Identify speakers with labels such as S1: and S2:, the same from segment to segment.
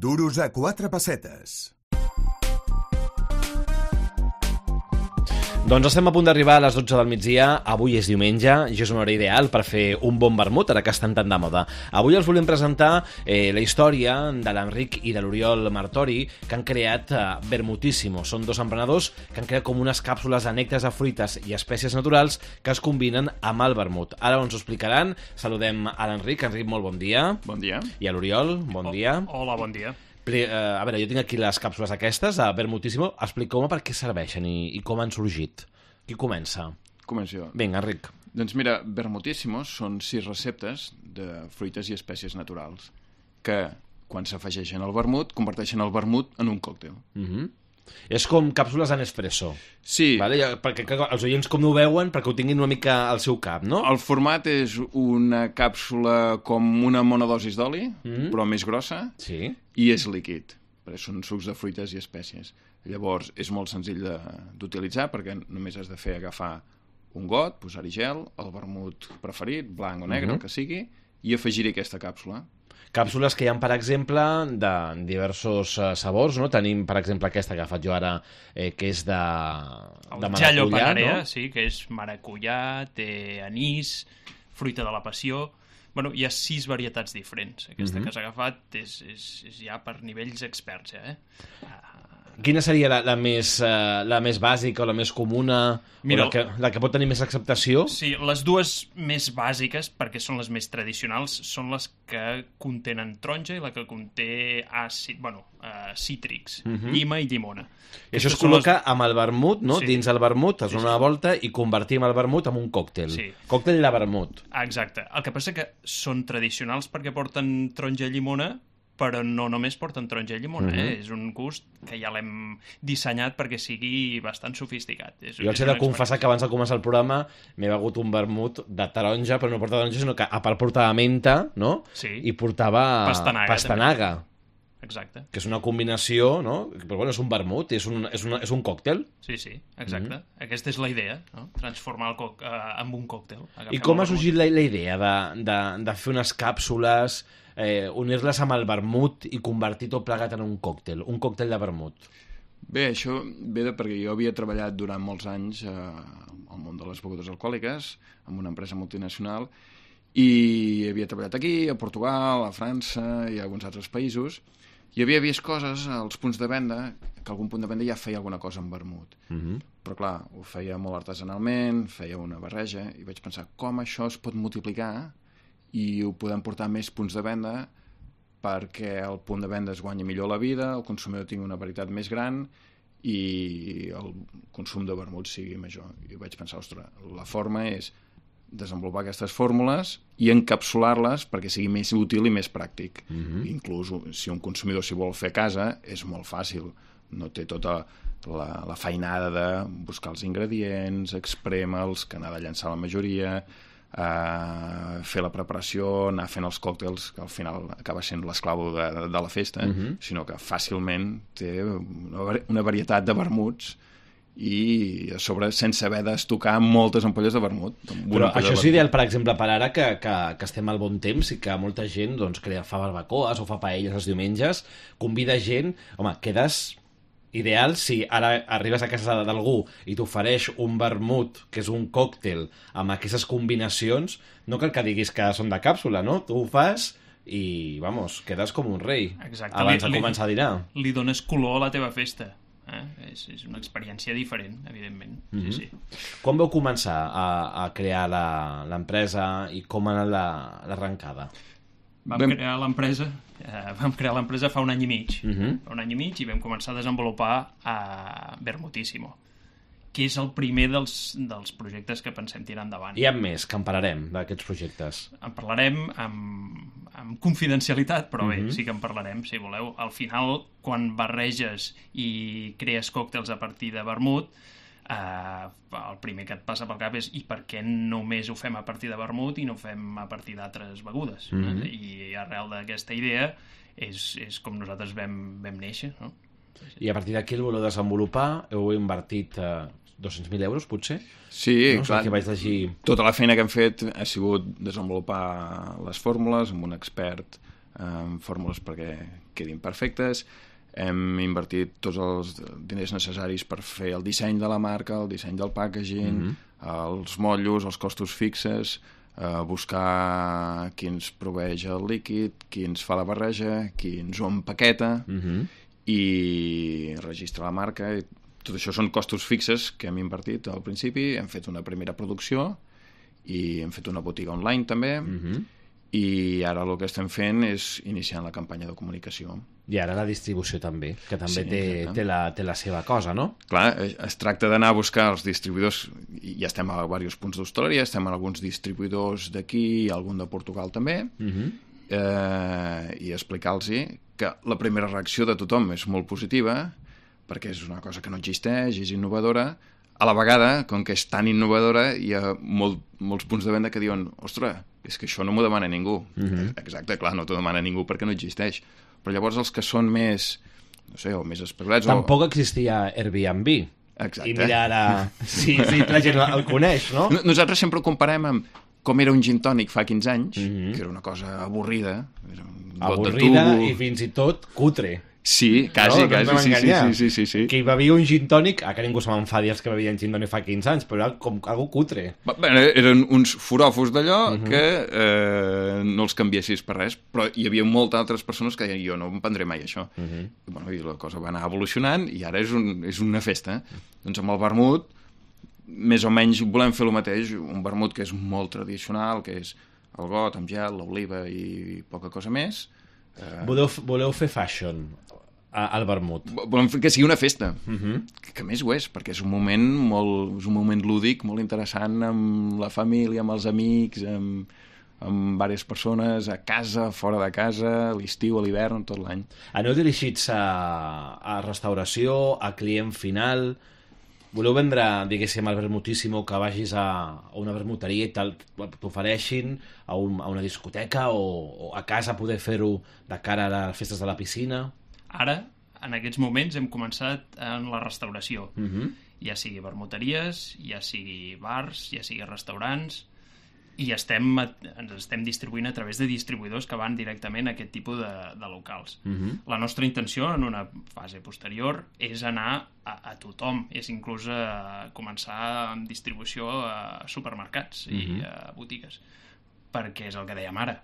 S1: Duros a 4 pessetes.
S2: Doncs estem a punt d'arribar a les 12 del migdia. Avui és diumenge i és una hora ideal per fer un bon vermut, ara que estan tan de moda. Avui els volem presentar la història de l'Enric i de l'Oriol Martori, que han creat Vermutíssimo. Són dos emprenedors que han creat com unes càpsules de nèctars de fruites i espècies naturals que es combinen amb el vermut. Ara ens ho explicaran. Saludem a l'Enric. Enric, molt bon dia.
S3: Bon dia.
S2: I a l'Oriol, bon dia.
S4: Hola, bon dia.
S2: A veure, jo tinc aquí les càpsules aquestes, a Vermutíssimo. Expliqueu-me per què serveixen i com han sorgit. Qui comença?
S3: Començo jo.
S2: Vinga, Enric.
S3: Doncs mira, Vermutíssimo són 6 receptes de fruites i espècies naturals que, quan s'afegeixen al vermut, converteixen el vermut en un còctel.
S2: És com càpsules en espresso.
S3: Sí.
S2: Vale? Perquè els oients com no ho veuen, perquè ho tinguin una mica al seu cap, no?
S3: El format és una càpsula com una monodosis d'oli, però més grossa,
S2: Sí.
S3: i és líquid, perquè són sucs de fruites i espècies. Llavors, és molt senzill d'utilitzar, perquè només has de fer agafar un got, posar-hi gel, el vermut preferit, blanc o negre, el que sigui, i afegir-hi aquesta càpsula.
S2: Càpsules que hi ha, per exemple, de diversos sabors, no? Tenim, per exemple, aquesta que he agafat jo ara, que és de
S4: Jallo
S2: maracuyà,
S4: Panarea,
S2: no?
S4: sí, que és maracuyà, té anís, fruita de la passió. Bueno, hi ha 6 varietats diferents. Aquesta que has agafat és ja per nivells experts,
S2: Quina seria la més bàsica o la més comuna?
S4: Mira,
S2: o la que pot tenir més acceptació?
S4: Sí, les dues més bàsiques, perquè són les més tradicionals, són les que contenen taronja i la que conté cítrics, llima i llimona.
S2: I això es col·loca amb el vermut, no?
S4: Sí.
S2: Dins el vermut, es dona una volta i convertim el vermut en un còctel.
S4: Sí.
S2: Còctel de vermut.
S4: Exacte. El que passa que són tradicionals perquè porten taronja i llimona, però no només porten taronja i llimona, És un gust que ja l'hem dissenyat perquè sigui bastant sofisticat.
S2: Jo els he de confessar que abans de començar el programa m'he begut un vermut de taronja, però no portava taronja, sinó que a part portava menta, no?
S4: Sí.
S2: I portava pastanaga.
S4: Exacte.
S2: Que és una combinació, no? Però bueno, és un vermut, és un còctel.
S4: Sí, exacte. Aquesta és la idea, no? Transformar el en un còctel.
S2: I com ha sorgit la idea de fer unes càpsules, unir-les amb el vermut i convertir tot plegat en un còctel de vermut?
S3: Bé, això ve perquè jo havia treballat durant molts anys al món de les begudes alcohòliques, en una empresa multinacional, i havia treballat aquí, a Portugal, a França i a alguns altres països, i havia vist coses als punts de venda, que algun punt de venda ja feia alguna cosa amb vermut. Però clar, ho feia molt artesanalment, feia una barreja, i vaig pensar com això es pot multiplicar i ho podem portar a més punts de venda perquè el punt de venda es guanyi millor la vida, el consumidor tingui una varietat més gran i el consum de vermut sigui major. I vaig pensar, ostres, la forma és desenvolupar aquestes fórmules i encapsular-les perquè sigui més útil i més pràctic. Inclús si un consumidor s'hi vol fer a casa és molt fàcil, no té tota la feinada de buscar els ingredients, exprémer'ls, que n'ha de llançar la majoria, fer la preparació, anar fent els còctels, que al final acaba sent l'esclau de la festa, sinó que fàcilment té una varietat de vermuts i a sobre sense haver d'estocar moltes ampolles de vermut.
S2: Però això és ideal, per exemple, per ara que estem al bon temps i que molta gent doncs, fa barbacoes o fa paelles els diumenges, convida gent, home, quedes ideal si ara arribes a casa d'algú i t'ofereix un vermut, que és un còctel, amb aquestes combinacions, no cal que diguis que són de càpsula, no? Tu ho fas i, vamos, quedes com un rei.
S4: Exacte.
S2: Abans de començar a dinar.
S4: Li dones color a la teva festa. És una experiència diferent, evidentment. Sí.
S2: Quan vau començar a crear l'empresa i com ha anat l'arrencada?
S4: Vam crear l'empresa fa un any i mig. Fa un any i mig i vam començar a desenvolupar Vermutíssimo, que és el primer dels projectes que pensem tirar endavant.
S2: I amb més, que en parlarem d'aquests projectes.
S4: En parlarem amb confidencialitat, però bé, sí que en parlarem, si voleu. Al final, quan barreges i crees còctels a partir de vermut, el primer que et passa pel cap és i per què només ho fem a partir de vermut i no ho fem a partir d'altres begudes. I arrel d'aquesta idea és com nosaltres vam néixer, no?
S2: I a partir d'aquí el voleu desenvolupar, heu invertit 200.000 euros, potser?
S3: Sí,
S2: no?
S3: clar.
S2: Que vaig llegir...
S3: Tota la feina que hem fet ha sigut desenvolupar les fórmules amb un expert amb fórmules perquè quedin perfectes. Hem invertit tots els diners necessaris per fer el disseny de la marca, el disseny del packaging, els motllos, els costos fixes, buscar qui ens proveeix el líquid, qui ens fa la barreja, qui ens ho empaqueta, i registrar la marca. I tot això són costos fixes que hem invertit al principi. Hem fet una primera producció i hem fet una botiga online també, i ara el que estem fent és iniciant la campanya de comunicació.
S2: I ara la distribució també, que també té la seva cosa, no?
S3: Clar, es tracta d'anar a buscar els distribuïdors, i ja estem a diversos punts d'hostaleria, estem a alguns distribuïdors d'aquí i algun de Portugal també, i explicar-los que la primera reacció de tothom és molt positiva, perquè és una cosa que no existeix, és innovadora. A la vegada, com que és tan innovadora, hi ha molts punts de venda que diuen ostres, és que això no m'ho demana ningú. Exacte, clar, no t'ho demana ningú perquè no existeix. Però llavors els que són més, no sé, o més especulats...
S2: Tampoc existia Airbnb.
S3: Exacte.
S2: I mira ara si la gent el coneix, no?
S3: Nosaltres sempre ho comparem amb com era un gin tònic fa 15 anys, que era una cosa avorrida.
S2: Avorrida i fins i tot cutre.
S3: Sí, quasi. Sí.
S2: Que hi bevia un gin tònic, que ningú se m'enfadi els que bevien gin tònic fa 15 anys, però era com algo cutre.
S3: Bé, eren uns foròfos d'allò que no els canviessis per res, però hi havia moltes altres persones que deien jo no em prendré mai això. I la cosa va anar evolucionant i ara és una festa. Doncs amb el vermut més o menys volem fer el mateix, un vermut que és molt tradicional, que és el got amb gel, l'oliva i poca cosa més.
S2: Voleu fer fashion al vermut?
S3: Volem que sigui una festa, que més ho és, perquè és un moment lúdic, molt interessant amb la família, amb els amics, amb diverses persones, a casa, fora de casa, a l'estiu, a l'hivern, tot l'any.
S2: Aneu dirigits a restauració, a client final? Voleu vendre, diguéssim, al vermutíssimo, que vagis a una vermuteria i t'ofereixin a una discoteca o a casa poder fer-ho de cara a les festes de la piscina?
S4: Ara, en aquests moments, hem començat en la restauració. Ja sigui vermuteries, ja sigui bars, ja sigui restaurants, i ens estem distribuint a través de distribuïdors que van directament a aquest tipus de locals. La nostra intenció en una fase posterior és anar a tothom, és inclús començar amb distribució a supermercats i a botigues, perquè és el que dèiem ara,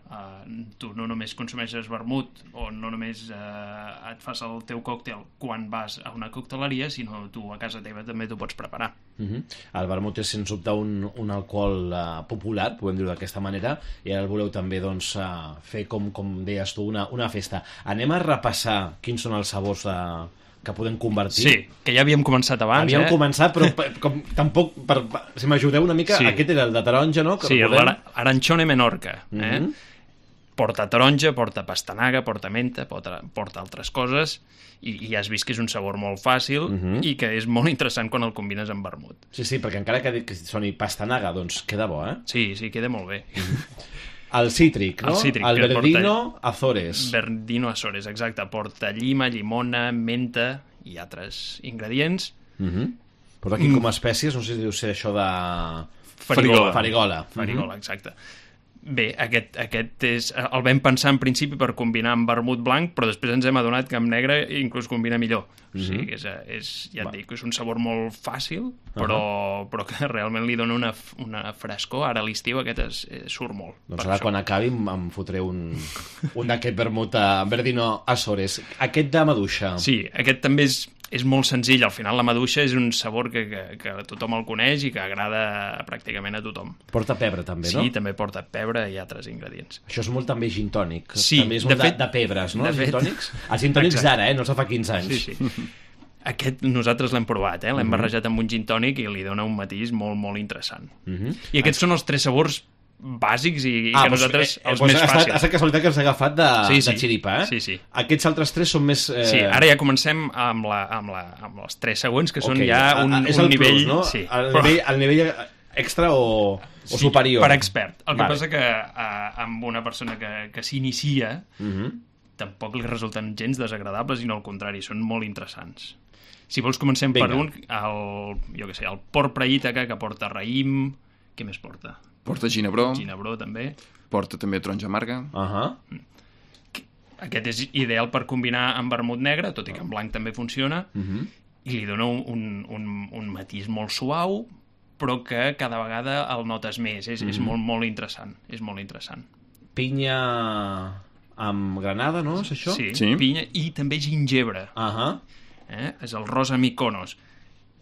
S4: tu no només consumeixes vermut o no només et fas el teu còctel quan vas a una cocteleria, sinó tu a casa teva també t'ho pots preparar.
S2: El vermut és sens dubte un alcohol popular, podem dir-ho d'aquesta manera, i ara el voleu també fer, com deies tu, una festa. Anem a repassar quins són els sabors que podem convertir.
S4: Sí, que ja havíem començat abans.
S2: Havíem començat, però tampoc, si m'ajudeu una mica, aquest era el de taronja, no?
S4: Sí, l'Aranchone Menorca. Porta taronja, porta pastanaga, porta menta, porta altres coses, i has vist que és un sabor molt fàcil i que és molt interessant quan el combines amb vermut.
S2: Sí, perquè encara que soni pastanaga, doncs queda bo, eh?
S4: Sí, queda molt bé.
S2: El cítric, no? El Verdino Azores.
S4: Verdino Azores, exacte. Porta llima, llimona, menta i altres ingredients.
S2: Porta aquí com a espècies, no sé si deu ser això de...
S4: Farigola, exacte. Bé, aquest el vam pensar en principi per combinar amb vermut blanc, però després ens hem adonat que amb negre inclús combina millor. O sigui que ja et dic, és un sabor molt fàcil, però que realment li dona una frescor. Ara a l'estiu aquest surt molt.
S2: Doncs ara quan acabi em fotré un d'aquest vermut Verdino Azores. Aquest de maduixa.
S4: Sí, aquest també és molt senzill. Al final la maduixa és un sabor que tothom el coneix i que agrada pràcticament a tothom.
S2: Porta pebre també, no?
S4: Sí, també porta pebre i altres ingredients.
S2: Això és molt també gin tònic.
S4: Sí,
S2: també és molt de pebres, no? Els gin tònics? Els gin tònics d'ara, no els fa 15 anys.
S4: Sí. Aquest nosaltres l'hem provat, l'hem barrejat amb un gin tònic i li dona un matís molt, molt interessant. I aquests són els 3 sabors bàsics i que nosaltres els més fàcils.
S2: Ha estat casualitat que ens ha agafat de xiripa, eh?
S4: Sí.
S2: Aquests altres 3 són més...
S4: Sí, ara ja comencem amb els 3 següents, que són ja un nivell...
S2: Plus, no?
S4: Sí.
S2: El nivell extra o superior.
S4: Per expert. El que passa que amb una persona que s'inicia tampoc li resulten gens desagradables, sinó al contrari, són molt interessants. Si vols comencem per un, el porc praïtaca, que porta raïm... Què més porta?
S3: Porta ginebró.
S4: Ginebró, també.
S3: Porta també taronja amarga.
S4: aquest és ideal per combinar amb vermut negre, tot i que en blanc també funciona, i li dona un matís molt suau, però que cada vegada el notes més. És molt, molt interessant. És molt interessant.
S2: Pinya amb granada, no? És això?
S4: Sí, pinya i també gingebre. És el Rosa Mykonos.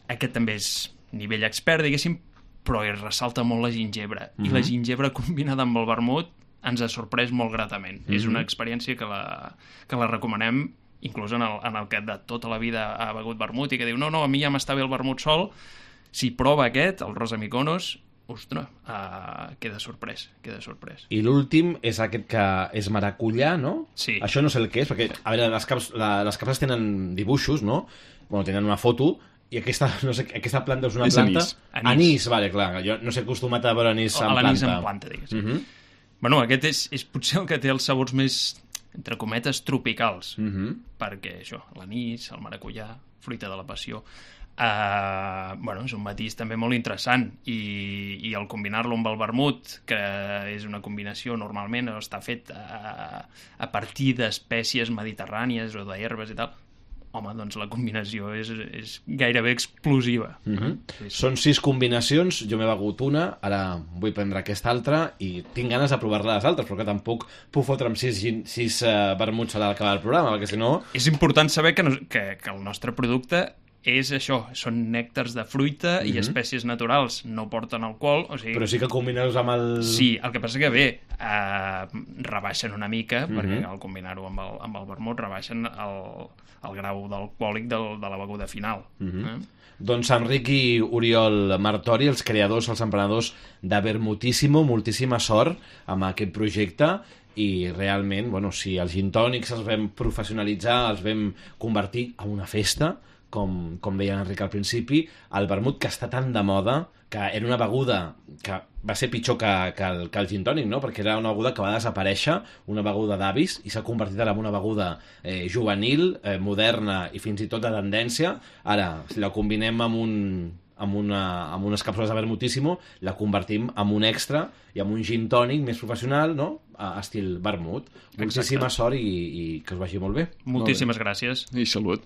S4: Aquest també és nivell expert, diguéssim, però ressalta molt la gingebre. I la gingebre combinada amb el vermut ens ha sorprès molt gratament. És una experiència que la recomanem, inclús en el que de tota la vida ha begut vermut i que diu, no, a mi ja m'està bé el vermut sol. Si prova aquest, el Rosa Mykonos, ostres, queda sorprès.
S2: I l'últim és aquest que és maracuyà, no?
S4: Sí.
S2: Això no sé el que és, perquè, a veure, les capses tenen dibuixos, no? Bueno, tenen una foto, i aquesta, no sé, aquesta planta és una planta... Anís, vale, clar. Jo no sé acostumat a veure anís en planta.
S4: L'anís en planta, diguéssim. Bueno, aquest és potser el que té els sabors més, entre cometes, tropicals. Perquè això, l'anís, el maracuyà, fruita de la passió... és un matís també molt interessant i el combinar-lo amb el vermut, que és una combinació normalment està fet a partir d'espècies mediterrànies o d'herbes i tal, home, doncs la combinació és gairebé explosiva.
S2: Són 6 combinacions, jo m'he begut una, ara vull prendre aquesta altra i tinc ganes de provar-la les altres, però que tampoc puc fotre amb 6 vermuts a l'acabar el programa, perquè si no...
S4: És important saber que el nostre producte és això, són nèctars de fruita i espècies naturals, no porten alcohol, o sigui...
S2: Però sí que combineu-los amb el...
S4: Sí, el que passa que bé, rebaixen una mica, perquè al combinar-ho amb el vermut rebaixen el grau d'alcohòlic de la beguda final.
S2: Doncs Enric i Oriol Martori, els creadors, els emprenedors de Vermutíssimo, moltíssima sort amb aquest projecte i realment, bueno, si els gin tònics els vam professionalitzar, els vam convertir en una festa, com deia Enric al principi, el vermut que està tan de moda, que era una beguda que va ser pitjor que el gin tònic, no? Perquè era una beguda que va desaparèixer, una beguda d'avis, i s'ha convertit en una beguda juvenil, moderna i fins i tot de tendència. Ara, si la combinem amb unes càpsules de Vermutíssimo, la convertim en un extra i amb un gin tònic més professional, no? Estil vermut. Moltíssima sort i que us vagi molt bé.
S4: Moltíssimes gràcies.
S3: I salut.